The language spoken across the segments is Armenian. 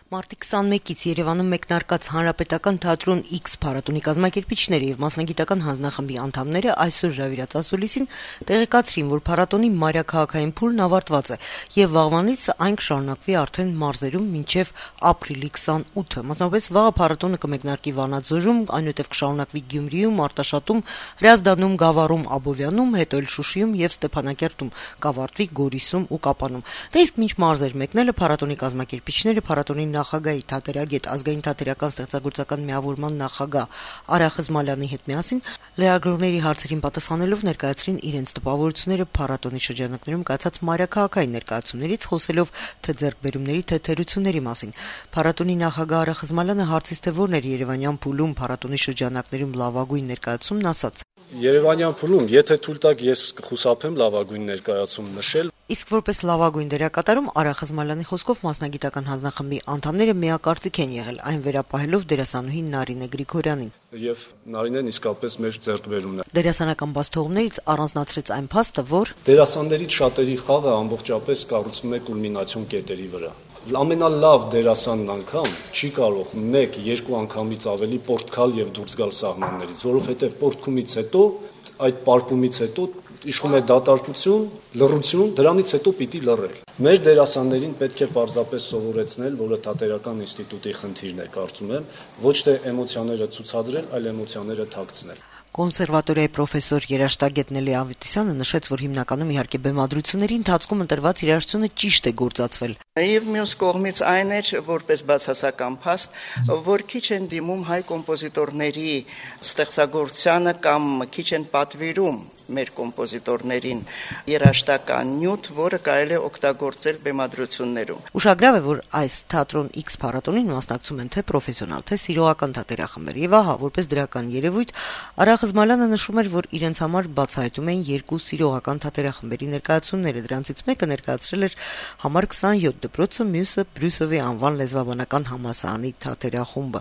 Մարտի 21-ից Երևանում մեկնարկած Հանրապետական թատրոն X փառատոնի կազմակերպիչները եւ մասնագիտական հանձնախմբի անդամները այսօր հրավիրած ասուլիսին տեղեկացրին, որ փառատոնի մայրաքաղաքային փուլն ավարտված է եւ վաղվանից այն կշարունակվի արդեն մարզերում մինչեւ ապրիլի 28-ը։ Մասնավորապես վաղը փառատոնը կմեկնարկի Վանաձորում, այնուհետեւ կշարունակվի Գյումրիում, Արտաշատում, Հրազդանում, Գավառում, Աբովյանում, հետո էլ Շուշիում եւ Ստեփանակերտում, կավարտվի Գորիսում ու Կապանում։ Դե իսկ մինչ մարզեր մեկնելը փառատոնի կազմակերպիչները փառատոնի նախագահի թատերագետ ազգային թատերական ստեղծագործական միավորման նախագահ Արա Խզմալյանի հետ միասին լրագրողների հարցերին պատասխանելով ներկայացրին իրենց տպավորությունները փառատոնի շրջանակներում կայացած մայրաքաղաքային ներկայացումներից, խոսելով թե ձեռքբերումների, թե թերությունների մասին։ Փառատոնի նախագահ Արա Խզմալյանը հարցից թե որն էր Երևանյան փուլում փառատոնի շրջանակներում լավագույն ներկայացումն, ասաց. Երևանյան փուլում, եթե թույլ տաք, ես կխուսափեմ լավագույն ներկայացում նշել։ Իսկ որպես լավագույն դերակատարում Արա Խզմալյանի խոսքով մասնագիտական հանձնախմբի անդամները միակարծիք են եղել, այն վերապահելով դերասանուհի Նարինե Գրիգորյանին։ Եվ Նարինեն իսկապես մեր ձեռքբերումն է։ Դերասանական բացթողումներից առանձնացրեց այն փաստը, որ դերասաններից շատերի խաղը ամբողջապես կառուցվում է կուլմինացիոն կետերի վրա։ Ամենալավ դերասանն անգամ չի կարող 1-2 անգամից ավելի պորտքալ եւ դուրս գալ սահմաններից, որովհետեւ պորտքումից հետո, այդ պարկումից հետո իշխում է դատարկություն, լռություն, դրանից հետո պիտի լռել։ Մեր դերասաններին պետք է պարզապես սովորեցնել, որը թատերական ինստիտուտի խնդիրն է, կարծում եմ, ոչ թե էմոցիաները ցուցադրել, այլ էմոցիաները թաքցնել։ Կոնսերվատորիայի պրոֆեսոր երաժշտագետ Նելի Ավետիսյանը նշեց, որ հիմնականում իհարկե բեմադրությունների ընթացքում ընտրված երաժշտությունը ճիշտ է գործածվել։ Եվ մյուս կողմից այն էր, որպես բացասական փաստ, որ քիչ են դիմում հայ կոմպոզիտորների ստեղծագործությանը կամ քիչ են պատվիրում մեր կոմպոզիտորներին երաժշտական նյութ, որը կարելի է օգտագործել բեմադրություններում։ Ուշագրավ է, որ այս թատրոն X փառատոնին մասնակցում են թե պրոֆեսիոնալ, թե սիրողական թատերախմբեր։ Եվ ահա, որպես դրական երևույթ, Արա Խզմալյանը նշում էր, որ իրենց համար բացահայտում են 2 սիրողական թատերախմբերի ներկայացումները։ Դրանցից մեկը ներկայացրել էր համար 27 դպրոցը, մյուսը Բրյուսովի անվան լեզվաբանական համալսարանի թատերախումբը։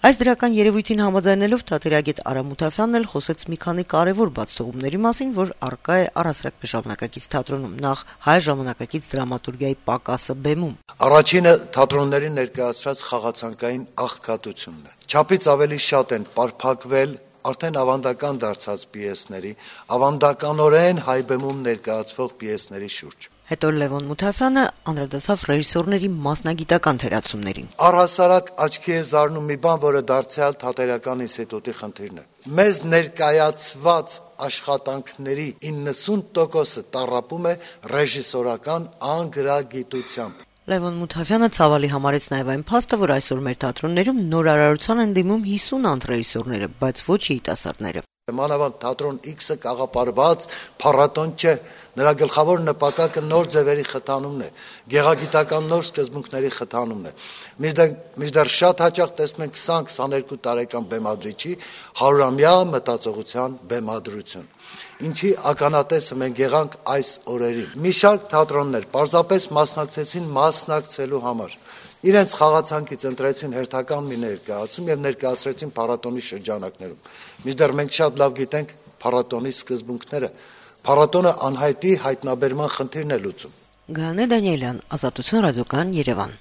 Այս դրական երևույթին համաձայնելով թատերագետ Արա Մութաֆյանն էլ խոսեց մի քանի կարևոր բացթողումների մասին, որ առկա է առասրակ ժամանակակից թատրոնում, նախ հայ ժամանակակից դրամատուրգիայի պակասը բեմում։ Առաջինը թատրոնների ներկայացրած խաղացանկային աղքատությունն է։ Չափից ավելի շատ են պարփակվել արդեն ավանդական դարձած պիեսների, ավանդականորեն հայ բեմում ներկայացվող պիեսների շուրջ։ Հետո Լևոն Մութաֆյանը անդրադարձավ ռեժիսորների մասնագիտական թերացումներին։ Առհասարակ աչքի է զարնում մի բան, որը դարձյալ թատերական ինստիտուտի խնդիրն է։ Մեզ ներկայացված աշխատանքների 90%-ը տառապում է ռեժիսորական անգրագիտությամբ։ Լևոն Մութաֆյանը ցավալի համարեց նաև այն փաստը, որ այսօր մեր թատրոններում նորարարության են դիմում 50 անց ռեժիսորները, բայց ոչ երիտասարդները։ Մանավանդ թատրոն X-ը կաղապարված փառատոն չէ, նրա գլխավոր նպատակը նոր ձևերի խթանումն է, գեղագիտական նոր սկզբունքների խթանումն է։ Մինչդեռ շատ հաճախ տեսնում ենք 20-22 տարեկան բեմադրիչի 100-ամյա մտածողության բեմադրություն, ինչի ականատեսը մենք եղանք այս օրերին։ Մի շարք թատրոններ պարզապես մասնակցեցին մասնակցելու համար։ Իրենց խաղացանկից ընտրեցին հերթական մի ներկայացում եւ ներկայացրեցին փառատոնի շրջանակներում։ Մինչդեռ մենք շատ լավ գիտենք փառատոնի սկզբունքները։ Փառատոնը անհայտի հայտնաբերման խնդիրն է լուծում։ Գաներ Դանիելյան, Ազատություն ռադիոկայան, Երևան։